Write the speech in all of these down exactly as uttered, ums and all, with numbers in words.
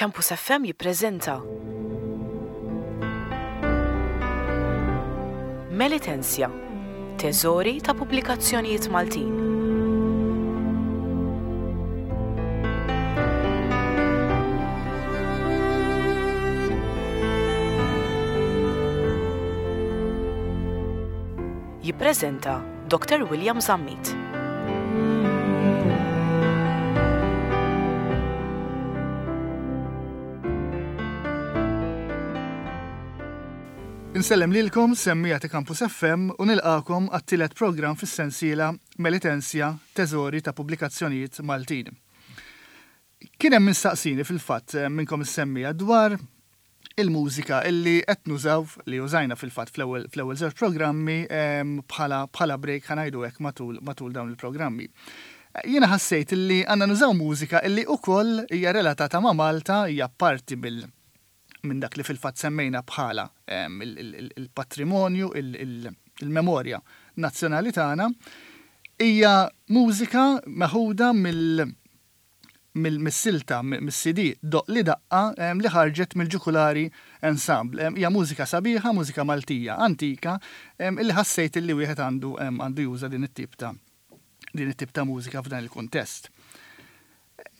Campus F M jippreżenta Melitensia, teżori ta' pubblikazzjonijiet Maltin. Jippreżenta Doctor William Zammit. Insellem lilkom, semmiegħa ta' Campus F M, u nilqagħkom għat-tielet program fis-sensiela Melitensia, Teżori ta' Pubblikazzjonijiet Maltin. Kien hemm mistaqsini fil-fatt eh, minnkom is-semmiegħa dwar il-mużika illi qed nużaw, li użajna fil-fatt fl-ewwel fl-ewwel żewġ programmi em, bħala bħala break, ħa ngħidu hekk, matul matul dawn il-programmi. Jiena ħassejt illi għandna nużaw mużika illi ukoll hija relatata ma' Malta, hija parti bil minn dak li fil-fatt semmejna bħala em, il- il- il-patrimonju, il- il- il-memorja nazzjonali tagħna, hija mużika meħuda mill mill-silta, mill-C D Doqqli Daqqa em, li ħarġet mill-Ġukulari Ensemble. Em, Hija mużika sabiħa, mużika Maltija, antika, em, illi ħassejt illi wieħed għandu em, għandu juża din it-tip ta' din it-tip ta' mużika f'dan il-kuntest.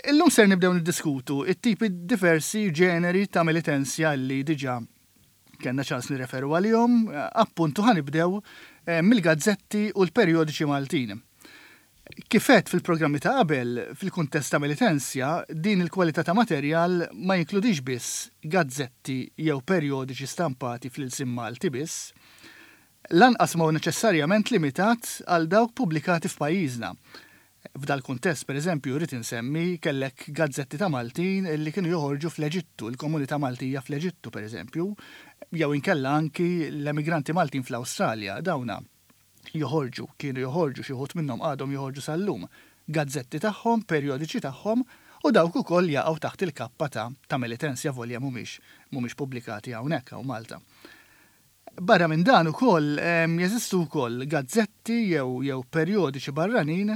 Illum ser nibdew niddiskutu it-tipi diversi, ġeneri ta' melitensja li diġà kellna ċans nirreferu għalihom, appuntu ħa nibdew eh, mill-gazzetti u l-perjodiċi Maltin. Kif għedt fil-programmi ta' qabel, fil-kuntest ta' melitensja, din il-kwalità ta' materjal ma jinkludix biss gazzetti jew perjodiċi stampati fl-ilsien Malti biss, lanqas ma hu neċessarjament limitat għal dawk pubblikati f'pajjiżna. F'dal kuntest, per eżempju, rrid insemmi kellek gazzetti ta' Maltin li kienu joħorġu fl-Eġittu, il-komunità Maltija fl-Eġittu, per eżempju, jew inkella anki l-emigranti Maltin fl-Awstralja, dawna joħorġu, kienu joħorġu, xi wħud minnhom għadhom joħorġu sal-lum, gazzetti tagħhom, perjodiċi tagħhom, u dawk ukoll jaqgħu taħt il-kappa ta' ta' melitensja volja mhumiex mhumiex pubblikati hawnhekk hawn Malta. Barra minn dan ukoll em, jeżistu wkoll gazzetti jew jew perjodiċi barranin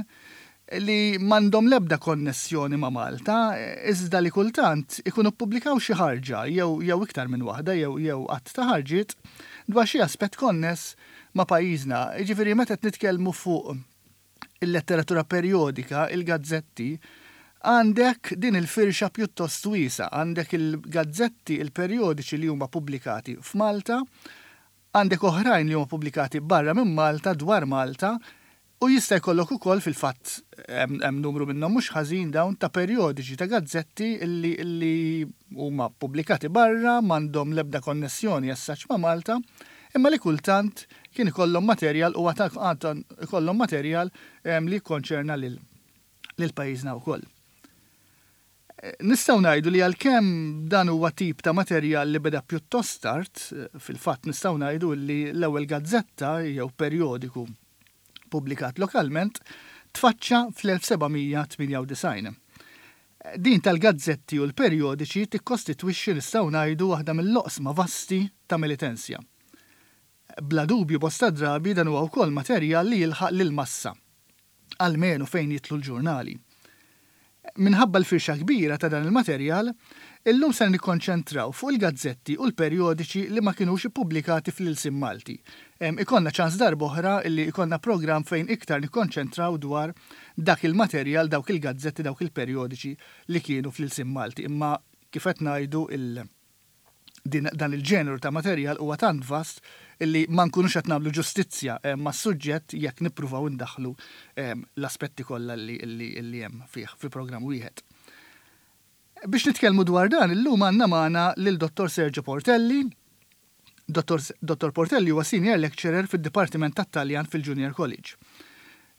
li m'għandhom l-ebda konnessjoni ma' Malta, iżda li kultant ikunu ppubblikaw xi ħarġa jew jew iktar minn waħda jew jew għadd ta' ħarġiet dwar xi aspett konness ma' pajjiżna. Jiġifieri meta qed nitkellmu fuq il-letteratura perjodika, il-gazzetti, għandek din il-firxa pjuttost wiesgħa, għandek il-gazzetti, il-perjodiċi li huma pubblikati f'Malta, għandek oħrajn li huma pubblikati barra minn Malta dwar Malta, u jista' jkollok ukoll fil-fatt hemm hemm numru minnhom mhux ħażin dawn ta' perjodiċi, ta' gazzetti illi illi huma pubblikati barra, m'għandhom l-ebda konnessjoni essaċ ma' Malta, imma li kultant kien ikollhom materjal u għad ikollhom materjal em, li jikkonċerna lil lil pajjiżna wkoll. Nistgħu ngħidu li għalkemm dan huwa tip ta' materjal li beda pjuttost tard, fil-fatt nistgħu ngħidu li l-ewwel gazzetta jew perjodiku pubblikat lokalment tfaċċa fl-elf seba' mija tmienja u disgħin. Din tal-gazzetti u l-perjodiċi tikkostitwixxi, nistgħu ngħidu, waħda mill-oqsma vasti ta' melitensja. Bla dubju, bosta drabi dan huwa wkoll materjal li jilħaq lil massa, almenu fejn jidħlu l-ġurnali. Minħabba l-firxa kbira ta' dan il-materjal, illum se nikkonċentraw fuq il-gazzetti u l-perjodiċi li ma kinux ippubblikati fl-ilsien Malti. Em, Ikollna ċans darb'oħra illi ikollna program fejn iktar nikkonċentraw dwar dak il-materjal, dawk il-gazzetti, dawk il-perjodiċi li kienu fl-ilsien Malti. Imma kif qed ngħidu, il- din, dan il-ġeneru ta' materjal huwa tant vast illi ma nkunux qed nagħmlu ġustizzja eh, mas-suġġett jekk nippruvaw indaħlu eh, l-aspetti kollha li, li, li hemm fih fi programm wieħed. Biex nitkellmu dwar dan, illum għandna magħna lil Dottor Sergio Portelli. Dottor Dottor Portelli huwa senior lecturer fid-Dipartiment tat-Taljan fil-Junior College.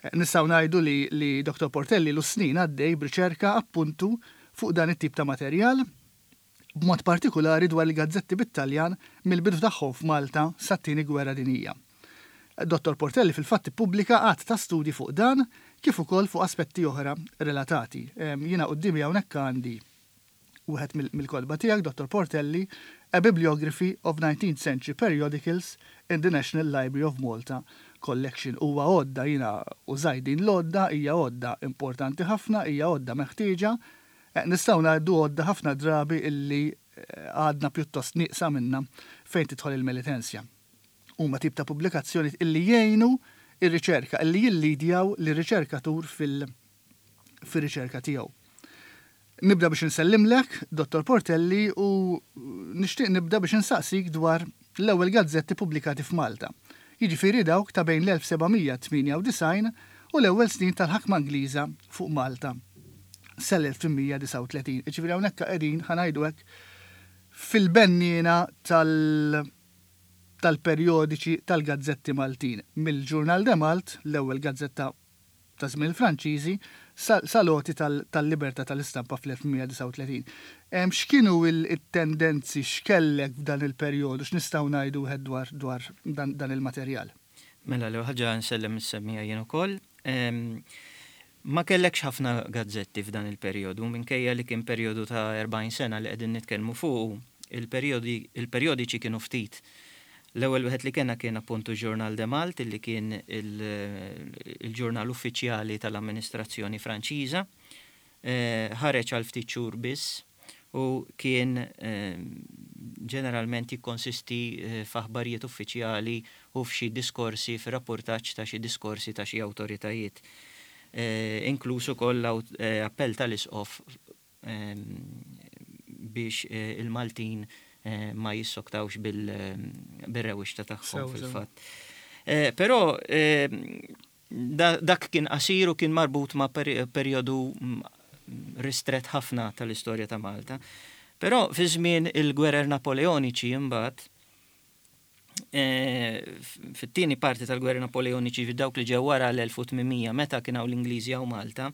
Eh, Nistgħu ngħidu li, li Dottor Portelli ilu snin għaddej b'riċerka appuntu fuq dan it-tip ta' materjal, b'mod partikolari dwar il-gazzetti bit-Taljan mill-bidu tagħhom f'Malta sat-Tieni Gwerra Dinjija. Dottor Portelli fil-fatt ippubblika għadd ta' studji fuq dan kif ukoll fuq aspetti oħra relatati. Em, Jiena quddiemi hawnhekk għandi wieħed mill- mill-kotba tiegħek, Dottor Portelli, A Bibliography of nineteenth Century Periodicals in the National Library of Malta Collection. Huwa għodda, jiena użajt din l-għodda, hija għodda importanti ħafna, hija għodda meħtieġa. Eh, nistgħu ngħidu għodda ħafna drabi illi eh, għadna pjuttost nieqsa minna fejn tidħol il-Melitensia. Huma tip ta' pubblikazzjoni illi jgħinu ir-riċerka, illi jillidjaw lir-riċerkatur fil- fir-riċerka tiegħu. Nibda biex nsellimlek, Dottor Portelli, u nixtieq nibda biex nsaqsik dwar l-ewwel gazzetti pubblikati f'Malta. Jiġifieri dawk ta' bejn l-elf seba' mija tmienja u disgħin u l-ewwel snin tal-ħakma Ingliża fuq Malta sal-elf tmien mija disgħa u tletin. Jiġifieri hawnhekk qegħdin, ħa ngħidu hekk, fil-benniena tal- tal-perjodiċi tal-gazzetti Maltin. Mill-Journal de Malte, l-ewwel gazzetta ta' żmien il-Franċiżi, sal-għoti tal-libertà tal-istampa fl-elf tmien mija disgħa u tletin. X'kienu il-tendenzi, x'kellek f'dan il-perjodu, x'nistgħu ngħidu wieħed dwar dwar dan, dan il-materjal? Mela, l ħaġa nsellem is-semmiegħa jien ukoll. Ma kellekx ħafna gazzetti f'dan il-perjodu, minkejja li kien perjodu ta' erbgħin sena li qegħdin nitkellmu fuq, il-perjodiċi kienu ftit. L-ewwel wieħed li kellna kien appuntu Journal de Malte, li kien il-ġurnal uffiċjali tal-amministrazzjoni Franċiża. Eh, ħareġ għal ftit xhur biss u kien eh, ġeneralment jikkonsisti eh, f'aħbarijiet uffiċjali u f'xi diskorsi, f'rapportaġġ ta' xi diskorsi ta' xi awtoritajiet. Inkluż ukoll appell tal-isqof biex il-Maltin Eh, ma jissoktawx bil-rewixta tagħhom fil-fatt. Eh, però eh, dak kien qasir u kien marbut ma' perjodu mm, ristret ħafna tal-istorja ta' Malta. Però fi żmien il-gwerer Napoleoniċi imbagħad, fit-tieni parti tal-gwerer Napoleoniċi, dawk li ġew wara l-elf u tmien mija meta kien hawn l-Ingliżi hawn Malta,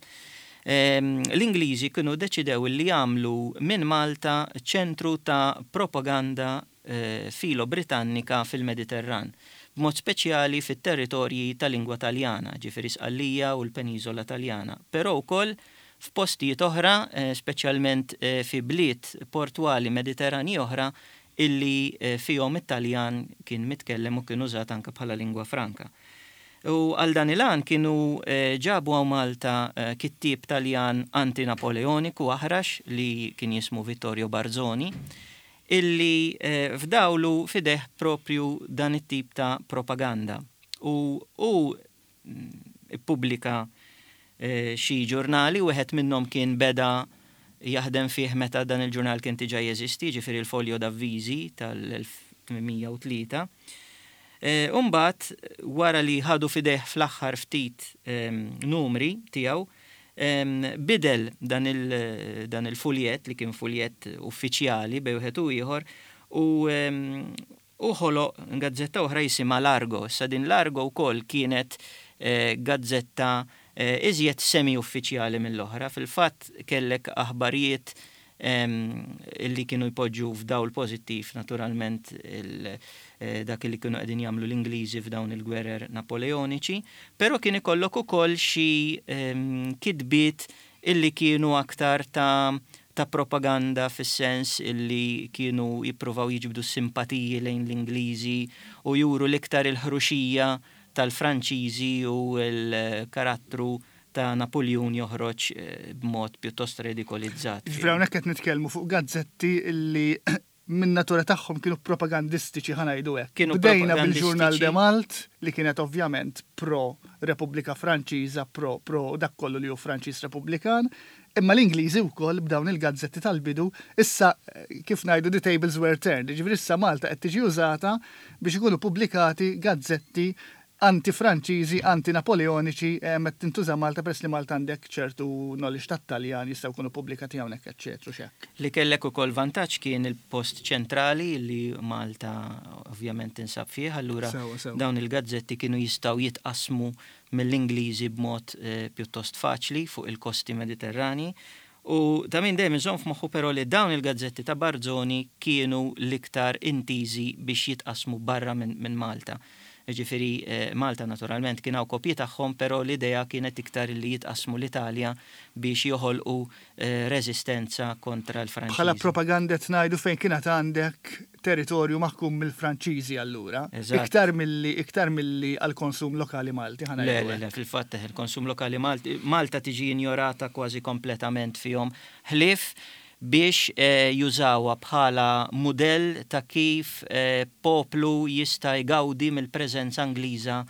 l-Ingliżi kienu deċidew li jagħmlu minn Malta ċentru ta' propaganda eh, filo-Britannika fil-Mediterran, b'mod speċjali fit-territorji ta' lingwa Taljana, ġifieri Sqallija u l-Peniżola Taljana, però wkoll f'postijiet oħra, eh, speċjalment eh, fi bliet portwali Mediterrani oħra illi fihom it-Taljan kien mitkellem u kien użat anke bħala lingwa franka. U għal dan il-għan kienu eh, ġabu hawn Malta eh, kittib Taljan anti-Napoleoniku aħrax li kien jismu Vittorio Barzoni, illi eh, fdawlu f'idejh propju dan it-tip ta' propaganda. U u mm, ippubblika xi ġurnali, wieħed minnhom kien beda jaħdem fih meta dan il-ġurnal kien diġà jeżisti, ġifieri il-Foglio d'Avvisi tal-elf tmien mija u tlieta. Eh, Umbagħad, wara li ħadu f'idejh fl-aħħar ftit numri tiegħu, bidel dan il-fuljet li kien fuljet uffiċjali bejn wieħed u ieħor u u ħoloq gazzetta oħra jisimha L'Argo. Issa din L'Argo wkoll kienet eh, gazzetta eh, iżjed semi-uffiċjali mill-oħra. Fil-fatt kellek aħbarijiet illi kienu jpoġġu f'dawl pozittiv naturalment eh, dak li kienu qegħdin jagħmlu l-Ingliżi f'dawn il-gwerer Napoleoniċi, però kien ikollok ukoll xi kitbiet illi kienu aktar ta' ta' propaganda fis-sens illi kienu jippruvaw jiġbdu simpatiji lejn l-Ingliżi u juru l-iktar il-ħruxija tal-Franċiżi u l-karattru ta' Napoleon joħroġ eh, b'mod pjuttost redikolizzat. Ġifieri hawnhekk qed nitkellmu fuq gazzetti illi minn natura tagħhom kienu propagandistiċi, ħa ngħidu hekk. Kienu Bdejna bil-Journal de propagandistiċi. Malte li kienet ovvjament pro Repubblika Franċiża, pro pro dak kollu li hu Franċiż Repubblikan, imma l-Ingliżi wkoll b'dawn il-gazzetti tal-bidu, issa eh, kif ngħidu, the tables were turned. Ġifieri issa Malta qed tiġi użata biex ikunu pubblikati gazzetti anti-Franċiżi, anti-Napoleoniċi, eh, qed tintuża Malta peress li Malta għandek ċertu knowledge tat-Taljan, jistgħu jkunu pubblikati hawnhekk, eċċetera, x'hekk. Li kellek ukoll vantaġġ kien il-post ċentrali li Malta ovvjament tinsab fih, allura Sewa, sewa. dawn il-gazzetti kienu jistgħu jitqasmu mill-Ingliżi b'mod eh, pjuttost faċli fuq il-kosti Mediterrani. U ta' min dejjem iżomm f'moħħu però li dawn il-gazzetti ta' Barzoni kienu l-iktar intiżi biex jitqasmu barra minn min Malta. Ġifieri eh, Malta naturalment kien hawn kopji tagħhom, però l-idea kienet iktar li jitqasmu l-Italja biex joħolqu eh, reżistenza kontra l-Franċiżi. Bħala propaganda qed ngħidu fejn kienet għandek territorju maħkum mill-Franċiżi allura. Iktar milli iktar milli għall-konsum lokali Malti. Le, le, le, fil-fatt il-konsum lokali Malti, Malta tiġi injorata kważi kompletament fihom. Ħlief biex eh, jużawha bħala mudell ta' kif eh, poplu jista' jgawdi mill-preżenza Ingliża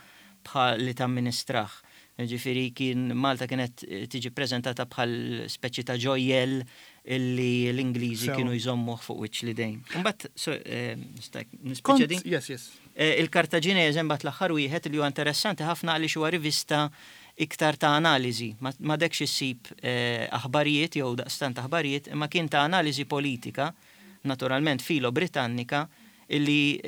bħal li tamministrah. Ġifieri kien Malta kienet tiġi preżentata bħal speċi ta' ġojjel illi l-Ingliżi kienu jżommuh fuq wiċċ l-idejn. Imbagħad eh, nispiċċa din? Yes, yes. Eh, Il-Kartaġinese mbagħad l-aħħar wieħed li huwa interessanti ħafna għaliex huwa rivista iktar ta' analiżi. M'għadekx issib eh, aħbarijiet jew daqstant aħbarijiet, imma kien ta' analiżi politika, naturalment filo Britannika, illi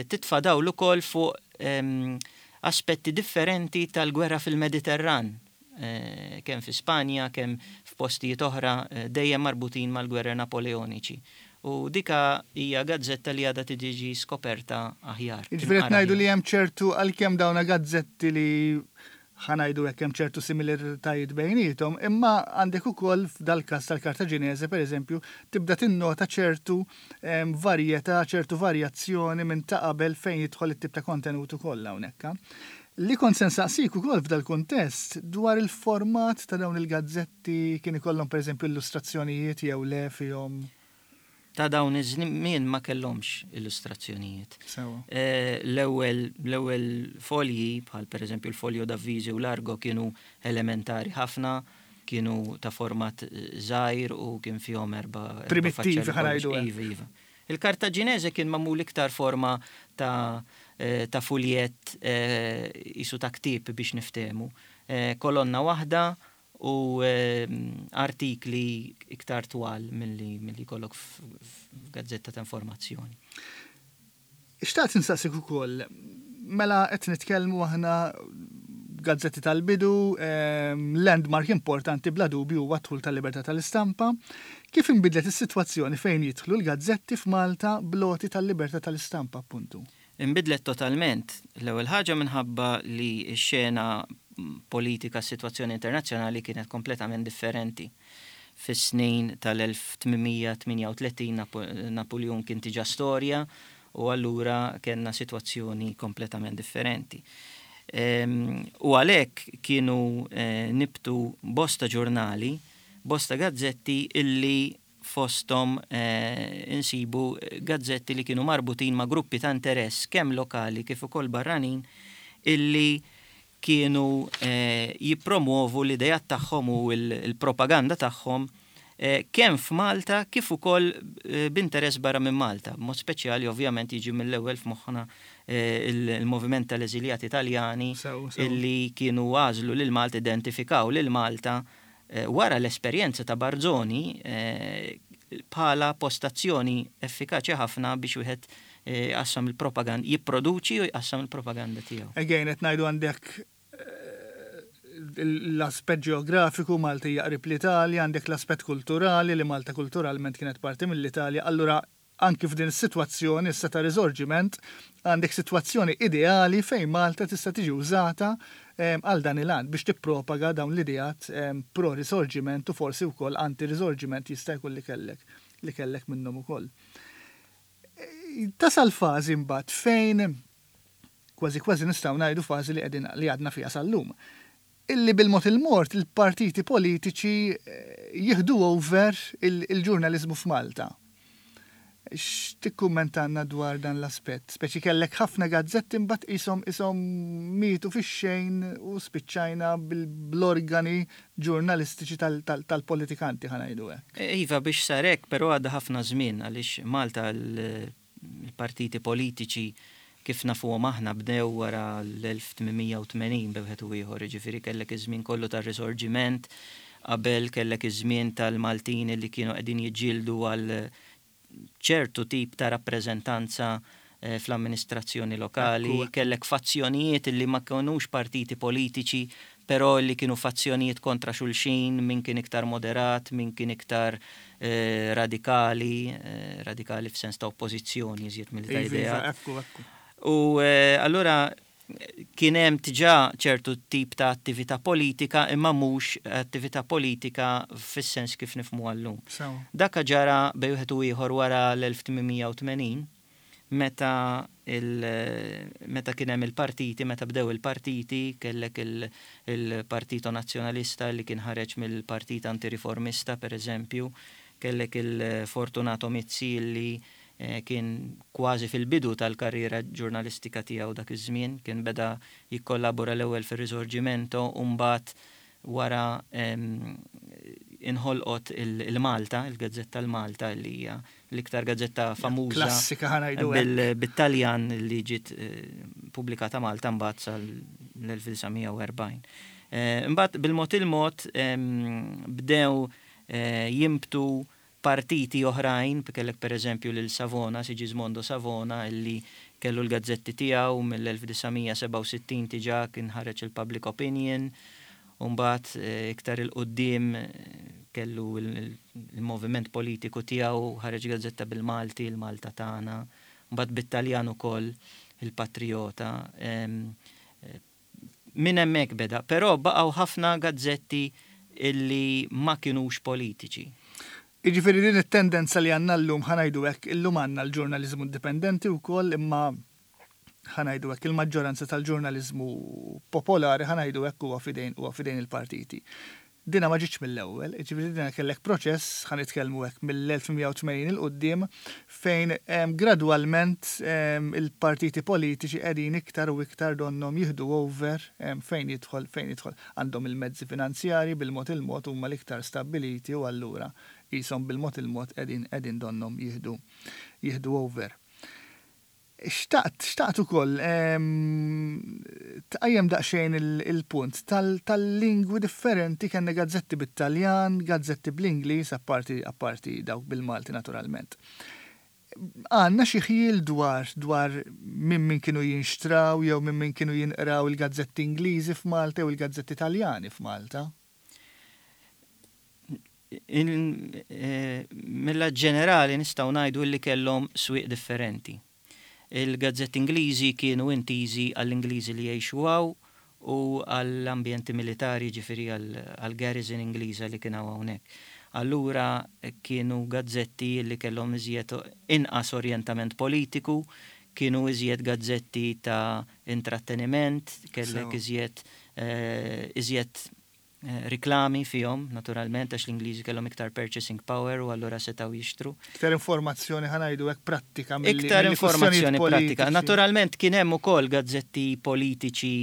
titfa' dawl ukoll fuq ehm, aspetti differenti tal-gwerra fil-Mediterran, eh, kemm fi Spanja, kemm f'postijiet oħra eh, dejjem marbutin mal-gwerra Napoleoniċi. U dika hija gazzetta li għadha tiġi skoperta aħjar. Jiġifieri qed ngħidu li hemm ċertu għalkemm dawna gazzetti li ħa ngħidu hekk hemm ċertu similaritajiet bejniethom, imma għandek ukoll f'dal-każ tal-Kartaġinese pereżempju tibda tinnota ċertu varjetà, ċertu varjazzjoni minn ta' qabel fejn jidħol it-tip ta' kontenut ukoll hawnhekk. Li kont se nsaqsik ukoll f'dal-kuntest dwar il-format ta' dawn il-gazzetti kien ikollhom pereżempju illustrazzjonijiet jew le fihom. Ta' dawn iż-żmien ma kellhomx illustrazzjonijiet. Eh, l-ewwel l-ewwel folji bħal pereżempju l-folio d'avviso u l-Argo kienu elementari ħafna, kienu ta' format żgħir u kien fihom erba' Primittivi ħa ngħidu. Iva, iva. Il-Kartaġinese kien magħmul iktar forma ta' eh, ta' fuljett eh, isu ta' ktieb biex niftehmu. Kolonna waħda u artikli iktar twal milli milli jkollok f'gazzetta ta' informazzjoni. Xtaqt insaqsik ukoll, mela qed nitkellmu aħna gazzetti tal-bidu, landmark importanti bla dubju huwa d-dħul tal-libertà tal-istampa. Kif inbidlet is-sitwazzjoni fejn jidħlu l-gazzetti f'Malta bl-għoti tal-libertà tal-istampa appuntu? Inbidlet totalment. L-ewwel ħaġa minħabba li x-xena politika, s-sitwazzjoni internazzjonali kienet kompletament differenti. Fis-snin tal-elf tmien mija tmienja u tletin Napoleon kien diġà storja u allura kellna sitwazzjoni kompletament differenti. U għalhekk kienu eh, nibtu bosta ġurnali, bosta gazzetti illi fosthom eh, insibu gazzetti li kienu marbutin ma' gruppi ta' interess kemm lokali kif ukoll barranin illi kienu eh, jippromuovu l-idejat tagħhom u l-propaganda tagħhom eh, kemm f'Malta kif ukoll eh, b'interess barra minn Malta. B'mod speċjali ovvjament jiġi mill-ewwel f'moħħna eh, il-moviment tal-eżiljati Italjani illi kienu għażlu lil Malta, identifikaw lil Malta eh, wara l-esperjenza ta' Barzoni eh, bħala postazzjoni effikaċi ħafna biex wieħed jqassam il-propaganda, jipproduċi u jqassam il-propaganda tiegħu. Again, qed ngħidu għandek l-aspett ġeografiku, Malta hija qrib l-Italja, għandek l-aspett kulturali li Malta kulturalment kienet parti mill-Italja, allura anki f'din is-sitwazzjoni issa ta' risorġiment għandek sitwazzjoni ideali fejn Malta tista' tiġi użata għal dan il-għan biex tippropaga dawn l-ideat pro-risorġiment u forsi wkoll anti-risorġiment jista' jkun li kellek li kellek minnhom ukoll. Tasal fażi mbagħad fejn kważi kważi nistgħu ngħidu fażi li qegħdin li għadna fiha sal-lum. Illi bil-mod il-mort il-partiti politiċi jieħdu over il-ġurnaliżmu f'Malta. X'tikkummentanna dwar dan l-aspett? Speċi kellek ħafna gazzetti mbagħad qishom qishom mietu fix-xejn u spiċċajna bl-organi ġurnalistiċi tal-politikanti ħa ngħidu hekk. Iva, biex sar hekk, però għadda ħafna żmien għaliex Malta l-partiti politiċi kif nafuhom aħna bdew wara l-elf tmien mija u tmenin b'wieħed u ieħor, jiġifieri kellek iż-żmien kollu tar-risorġiment, qabel kellek iż-żmien tal-Maltin li kienu qegħdin jiġġieldu għal ċertu tip ta' rappreżentanza eh, fl-amministrazzjoni lokali, kellek fazzjonijiet li ma kinux partiti politiċi, però li kienu fazzjonijiet kontra xulxin, min kien iktar moderat, min kien iktar eh, radikali, eh, radikali f'sens ta' oppożizzjoni iżjed milli ta' ideat. U allura kien hemm diġà ċertu tip ta' attività politika imma mhux attività politika fis-sens kif nifhmu llum. Dak ġara bejn wieħed u ieħor wara l-elf tmien mija u tmenin. meta il, meta kien hemm il-partiti, meta bdew il-partiti, kellek il-Partito Nazzjonalista li kien ħareġ mill-Partit Antiriformista, per eżempju, kellek il-Fortunato Mizzi li eh, kien kważi fil-bidu tal-karriera ġurnalistika tiegħu dak iż-żmien, kien beda jikkollabora l-ewwel fir-Risorgimento u mbagħad wara inħolqot il-Malta, il-Gazzetta l-Malta li hija l-iktar gazzetta famuża Klassika, ħa ngħidu hekk. Bit-Taljan li ġiet eh, pubblikata Malta mbagħad sal-elf disa' mija u erbgħin. Eh, Imbagħad bil-mod il-mod bdew eh, jimbtu partiti oħrajn, kellek per eżempju lil Savona, Sigismondo Savona, illi kellu l-gazzetti tiegħu mill-elf disa' mija sebgħa u sittin, diġà kien ħareġ il-Public Opinion, u mbagħad iktar 'il quddiem kellu il-moviment politiku tiegħu, ħareġ gazzetta bil-Malti, il-Malta Tagħna, mbagħad bit-Taljan ukoll il-Patriota. Min hemmhekk beda, però baqgħu ħafna gazzetti illi ma kienux politiċi. Iġifieri din it-tendenza li għandna llum, ħa ngħidu hekk, illum għandna l-ġurnaliżmu indipendenti wkoll, imma ħa ngħidu hekk, il-maġġoranza tal-ġurnaliżmu popolari, ħa ngħidu hekk, huwa fidejn huwa fidejn il-partiti. Dina ma ġietx mill-ewwel, ġifieri dina kellek proċess, ħa nitkellmu hekk, mill-elf tmien mija u tmenin 'il quddiem, fejn gradwalment il-partiti politiċi qegħdin iktar u iktar donhom jieħdu over fejn jidħol fejn jidħol għandhom il-mezzi finanzjari, bil-mod il-mod huma l-iktar stabiliti u allura qishom bil-mod il-mod qegħdin qegħdin donhom jieħdu jieħdu over. Xtaqt, xtaqt ukoll tqajjem daqsxejn il-punt tal-lingwi differenti. Kellna gazzetti bit-Taljan, gazzetti bl-Ingliż, apparti apparti dawk bil-Malti naturalment. Għandna xi ħjiel dwar dwar minn min kienu jinxtraw jew minn min kienu jinqraw il-gazzetti Ingliżi f'Malta u il-gazzetti Taljani f'Malta? Eh, Milla ġenerali nistgħu ngħidu li kellhom swieq differenti. Il-gazzetti Ingliżi kienu intiżi għall-Ingliżi li jgħixu hawn u għall-ambjenti militari, ġifieri għall-garrison Ingliża li kien hawnhekk. Allura kienu gazzetti li kellhom iżjed inqas orientament politiku, kienu iżjed gazzetti ta' intratteniment, kellek iżjed eh, iżjed eh, riklami fihom, naturalment, għax l-Ingliżi kellhom iktar purchasing power u allura setgħu jixtru. Iktar informazzjoni, ħa ngħidu hekk, prattika. Iktar informazzjoni pratika. Naturalment kien hemm ukoll gazzetti politiċi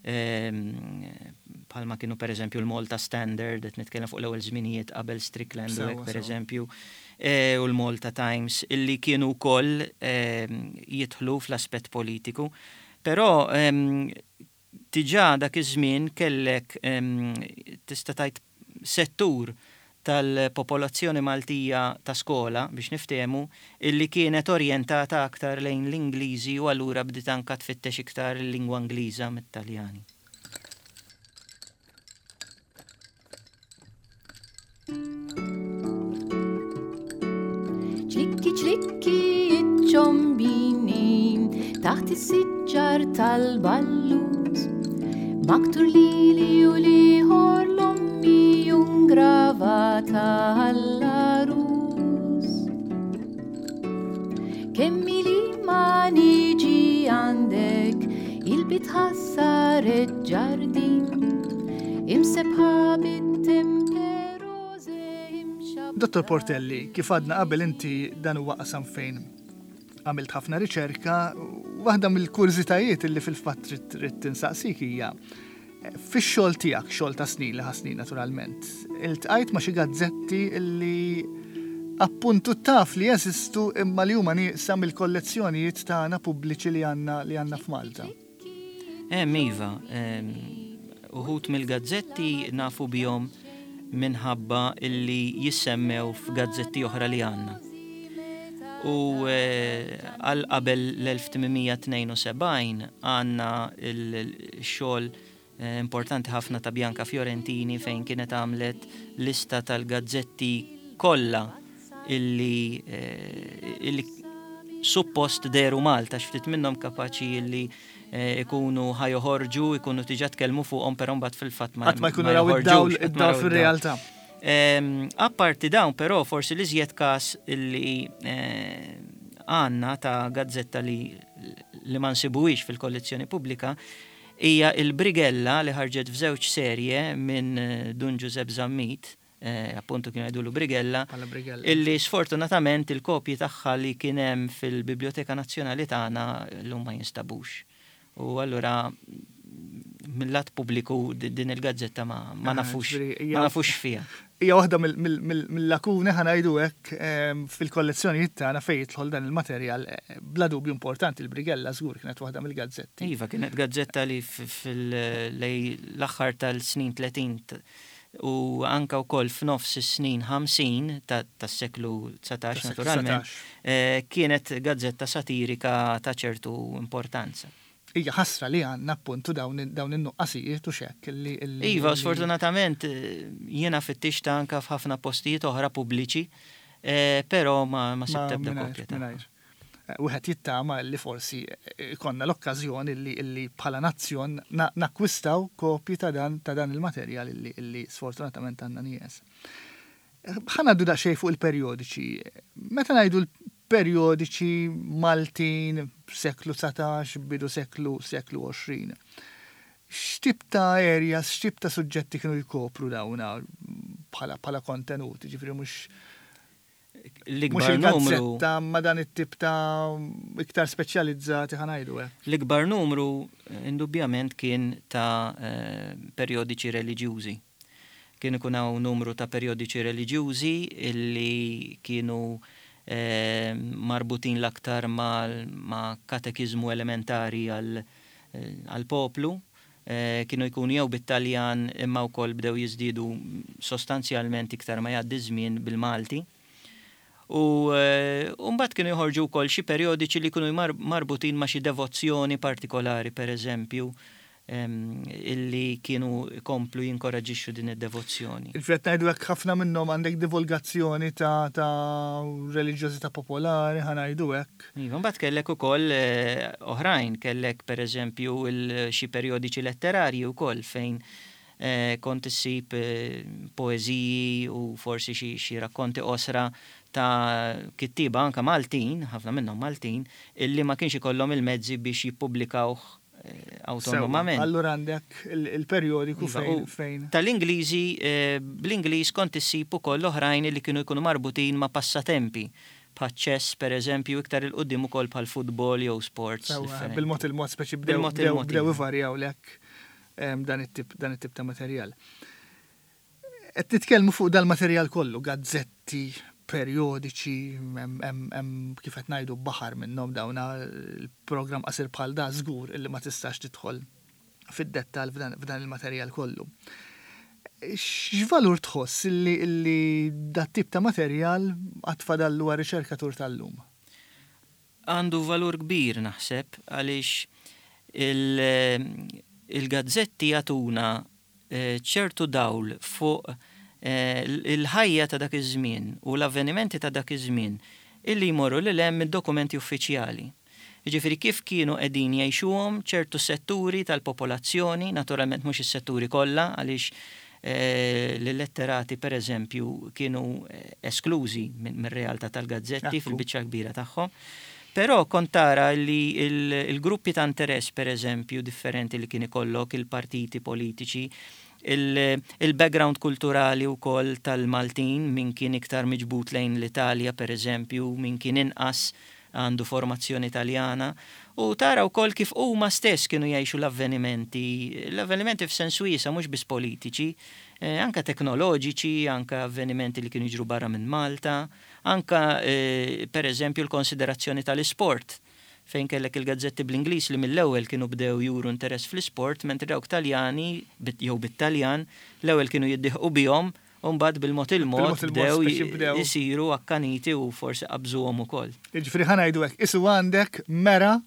ehm, bħalma kienu per eżempju l-Malta Standard, qed nitkellem fuq l-ewwel żminijiet qabel Strickland u hekk per eżempju, e, u l-Malta Times illi kienu wkoll ehm, jidħlu fl-aspett politiku. Però ehm, diġà dak iż-żmien kellek, tista' tgħid, settur tal-popolazzjoni Maltija ta' skola, biex niftehmu, illi kienet orjentata aktar lejn l-Ingliżi u allura bdiet anka tfittex iktar il-lingwa Ingliża mit-Taljani. Ċlikki ċlikki ċombini taħt is-siġar tal-ballut, maktur lili u liħor l-ommi gravata għall-arus. Kemmi li ma niġi għandek il-bitħa saret ġardin imsebħa bit-temperose. Dottor Portelli, kif għadna qabel inti dan huwa qasam fejn għamilt ħafna riċerka, waħda mill-kurżitajiet illi fil-fatt trid tinsaqsik hija: fix-xogħol tiegħek, xogħol ta' snin li ħasnin naturalment, iltqajt ma' xi gazzetti illi appuntu taf li jeżistu imma li huma nieqsa mill-kollezzjonijiet tagħna pubbliċi li għandna li għandna f'Malta? Hemm iva, uħud mill-gazzetti nafu bihom minħabba illi jissemmew f'gazzetti oħra li għandna. U eh, għal qabel l-elf tmien mija tnejn u sebgħin għandna il-xogħol eh, importanti ħafna ta' Bianca Fiorentini fejn kienet għamlet lista tal-gazzetti kollha illi, eh, illi suppost deru Malta, xftit minnhom kapaċi illi ikunu ħa joħorġu, ikunu diġà tkellmu fuqhom, però mbagħad fil-fatt ma ma jkunu raw id-dawl id-dawl fir-realtà. Apparti dawn però, forsi li żjed każ illi eh, għandna ta' gazzetta li li ma nsibuhiex fil-kollezzjoni pubblika hija il-Brigella li ħarġet f'żewġ serje minn eh, Dun Giuseppe Zammit, eh, appuntu kienu jgħidulu Brigella, Bħala Brigella. Illi sfortunatament il-kopji tagħha li kien hemm fil-Biblioteka Nazzjonali tagħna llum ma jinstabux. U allura mill-lat pubbliku di- din il-gazzetta ma, ma Ah, nafux ġifieri hija- ma nafux fiha. Hija waħda mill- mill- mill- mill-lakuni, ħa ngħidu hekk, em, fil-kollezzjonijiet tagħna fejn jidħol dan il-materjal eh, bla dubju importanti. Il-Brigella żgur kienet waħda mill-gazzetti. Iva, kienet gazzetta li fil-lej l-aħħar tal-snin tletin t- u anka wkoll f'nofs is-snin ħamsin ta- tas-seklu dsatax Tas-seklu naturalment, dsatax. eh, kienet gazzetta satirika ta' ċertu importanza. Hija ħasra li għandna appuntu dawn dawn in-nuqqasijiet u xekk illi illi- Iva, illi- sfortunatament eh, jiena fittixta anka f'ħafna postijiet oħra pubbliċi, eh, però ma, ma sibt ebda mingħajr- kopja tagħha. mingħajr. Eh, Wieħed jittama li forsi ikonna l-okkażjoni li, illi bħala nazzjon na- nakkwistaw kopji ta' dan ta' dan il-materjal illi, illi sfortunatament għandna nieqes. Ħa ngħaddu daqsxejn fuq il-periodiċi. Meta ngħidu l-periodiċi Maltin, seklu dsatax, bidu seklu seklu għoxrin. X'tip ta' areas, x'tip ta' suġġetti kienu jkopru dawna bħala bħala kontenut, ġifieri mhux mhux L-ikbar numru il-gazzetta ma dan it-tip ta' iktar speċjalizzati, ħa ngħidu hekk. L-ikbar numru eh, indubbjament kien ta' eh, periodiċi reliġjużi. Kien ikun hawn numru ta' periodiċi reliġjużi illi kienu eh, marbutin l-aktar ma', ma' katekizmu elementari għal eh, għal poplu. Eh, kienu jkunu jew bit-Taljan imma wkoll bdew jiżdiedu sostanzjalment iktar ma jgħaddi żmien bil-Malti. U eh, u mbagħad kienu joħorġu wkoll xi periodiċi li kienu mar- marbutin ma' xi devozzjoni partikolari, per eżempju, em, illi kienu komplu jinkoraġixxu din id-devozzjoni. Il-fret ngħidu hekk, ħafna minnhom għandek divulgazzjoni ta' ta' reliġjożità popolari, ħa ngħidu hekk. Iva, mbagħad kellek ukoll eh, oħrajn, kellek per eżempju il- xi periodiċi letterarji wkoll fejn eh, kont issib eh, poeżiji u forsi xi xi rakkonti qosra ta' kittiba anka Maltin, ħafna minnhom Maltin, illi ma kienx ikollhom il-mezzi biex jippubblikawh eh, awtonomament. Sewwa, allura għandek il- il-periodiku Iva, fejn u fejn. Tal-Ingliżi, eh, bl-Ingliż kont issib ukoll oħrajn li kienu jkunu marbutin ma' passatempi. Bħaċ-chess, per eżempju, iktar 'il quddiem ukoll bħal futbol jew sports Sewwa, differenti. bil-mod il-mod speċi bdew Bil-mod bdew il-mod, bdew iva. ivarjaw lek em, dan it-tip dan it-tip ta' materjal. Qed nitkellmu fuq dal-materjal kollu, gazzetti, periodiċi, hemm hemm hemm kif qed ngħidu baħar minnhom dawna. Il-programm qasir bħal da żgur illi ma tistax tidħol fid-dettal f'dan f'dan il-materjal kollu. X'valur tħoss illi illi dat tip ta' materjal għad fadallu għar-riċerkatur tal-lum? Għandu valur kbir naħseb, għaliex il- il-gazzetti jagħtuna eh, ċertu dawl fuq eh, il-ħajja ta' dak iż-żmien u l-avvenimenti ta' dak iż-żmien illi jmorru lil hemm mid-dokumenti uffiċjali. Jiġifieri kif kienu qegħdin jgħixuhom ċertu setturi tal-popolazzjoni, naturalment mhux is-setturi kollha, għaliex eh, l-letterati per eżempju kienu eh, esklużi minn mir-realtà tal-gazzetti Ekku. fil-biċċa kbira tagħhom. Però kont tara li il- il-gruppi ta' interess, per eżempju, differenti li kien ikollok il-partiti politiċi, il- il-background kulturali u koll tal-Maltin, min kien iktar miġbut lejn l-Italja, per eżempju, min kien inqas għandu formazzjoni italjana, u tara wkoll kif huma stess kienu jgħixu l-avvenimenti, l-avvenimenti f'sens wiesa', mhux biss politiċi, eh, anka teknoloġiċi, anka avvenimenti li kienu jiġru barra minn Malta, anka eh, per eżempju l-konsiderazzjoni tal-isport, fejn kellek il-gazzetti bl-Ingliż li mill-ewwel kienu bdew juru interess fl-isport, mentri dawk Taljani bit- jew bit-Taljan l-ewwel kienu jiddieħqu bihom u mbagħad bil-mod il-mod Bil-mod il-mod bdew speċi bdew. jisiru akkaniti u forsi qabżuhom ukoll. Jiġifieri, ħa ngħidu hekk, isu għandek mera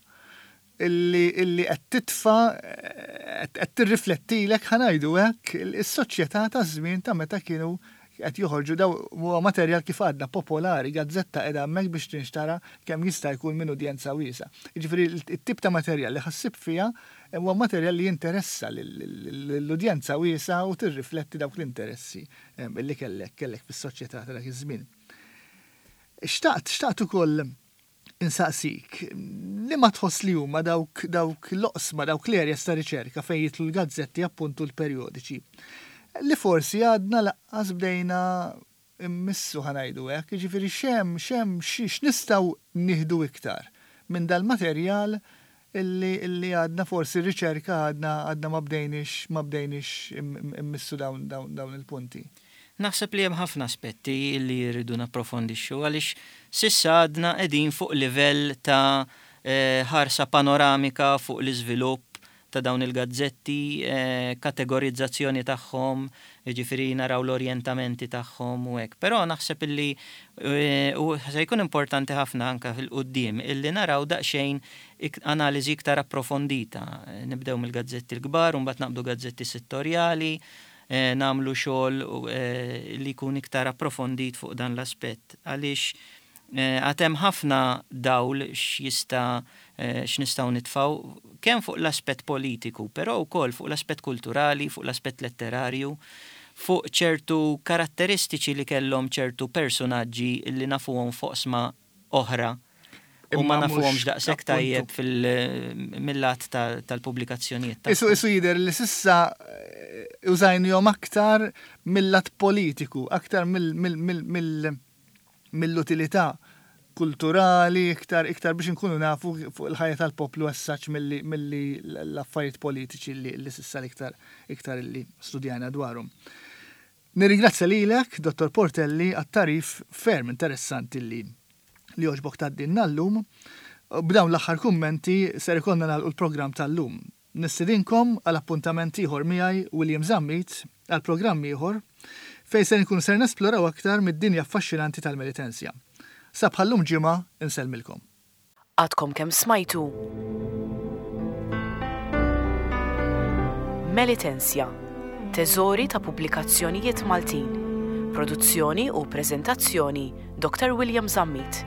illi illi qed titfa qed qed tirriflettilek, ħa ngħidu hekk, is-soċjetà ta' żmien ta' meta kienu qed joħorġu daw. Huwa materjal, kif għadna, popolari, gazzetta qiegħda hemmhekk biex tinxtara kemm jista' jkun minn udjenza wiesa. Jiġifieri it-tip ta' materjal li ħa ssib fiha huwa materjal li jinteressa l-udjenza wiesa u tirrifletti dawk l-interessi em, illi kellek kellek fis-soċjetà ta' dak iż-żmien. Xtaqt xtaqt ukoll Insaqsik, li ma tħoss li huma dawk dawk l-oqsma, dawk l-areas ta' riċerka fejn jidħlu l-gazzetti, appuntu l-perjodiċi, li forsi għadna lanqas bdejna immissu, ħa ngħidu hekk, jiġifieri x'hemm x'hemm x'nistgħu nieħdu iktar minn dal-materjal illi illi għadna forsi r-riċerka għadna għadna ma bdejniex ma bdejniex immissu dawn dawn dawn il-punti? Naħseb li hemm ħafna aspetti li jridu napprofondixxu, għaliex s'issa għadna qegħdin fuq livell ta' eh, ħarsa panoramika fuq l-iżvilupp ta' dawn il-gazzetti, eh, kategorizzazzjoni tagħhom, jiġifieri naraw l-orjentamenti tagħhom u hekk. Però naħseb illi eh, u se jkun importanti ħafna anka fil-quddiem illi naraw daqsxejn analiżi iktar approfondita. Nibdew mill-gazzetti l-kbar, u mbagħad naqbdu gazzetti settorjali, eh, nagħmlu xogħol li jkun iktar approfondit fuq dan l-aspett. Għaliex għad hemm ħafna dawl x'jista' x'nistgħu nitfgħu kemm fuq l-aspett politiku, però wkoll fuq l-aspett kulturali, fuq l-aspett letterarju, fuq ċertu karatteristiċi li kellhom ċertu personaġġi li nafuhom fuq oqsma oħra u ma nafuhomx daqshekk tajjeb mill-lat tal-pubblikazzjonijiet. Isu isu jidher li s'issa użajnihom aktar mill-lat politiku, aktar mill-utilità kulturali, iktar iktar biex nkunu nafu fuq il-ħajja tal-poplu essaċ milli l-affarijiet politiċi li, li s'issa iktar iktar li studjajna dwarhom. Nirringrazzja lilek, Dottor Portelli, għat-tagħrif ferm interessanti li li għoġbok tgħaddilna llum. B'dawn l-aħħar kummenti ser ikollna nagħlqu l-programm tal-lum. Nistedinkom għal appuntament ieħor miegħi, William Zammit, għal programm ieħor fejn se nkun ser nesploraw aktar mid-dinja affaxxinanti tal-Melitensia. Sa bħallum ġimgħa, insellmilkom. Għadkom kemm smajtu Melitensia, teżori ta' pubblikazzjonijiet Maltin. Produzzjoni u preżentazzjoni, Dottor William Zammit.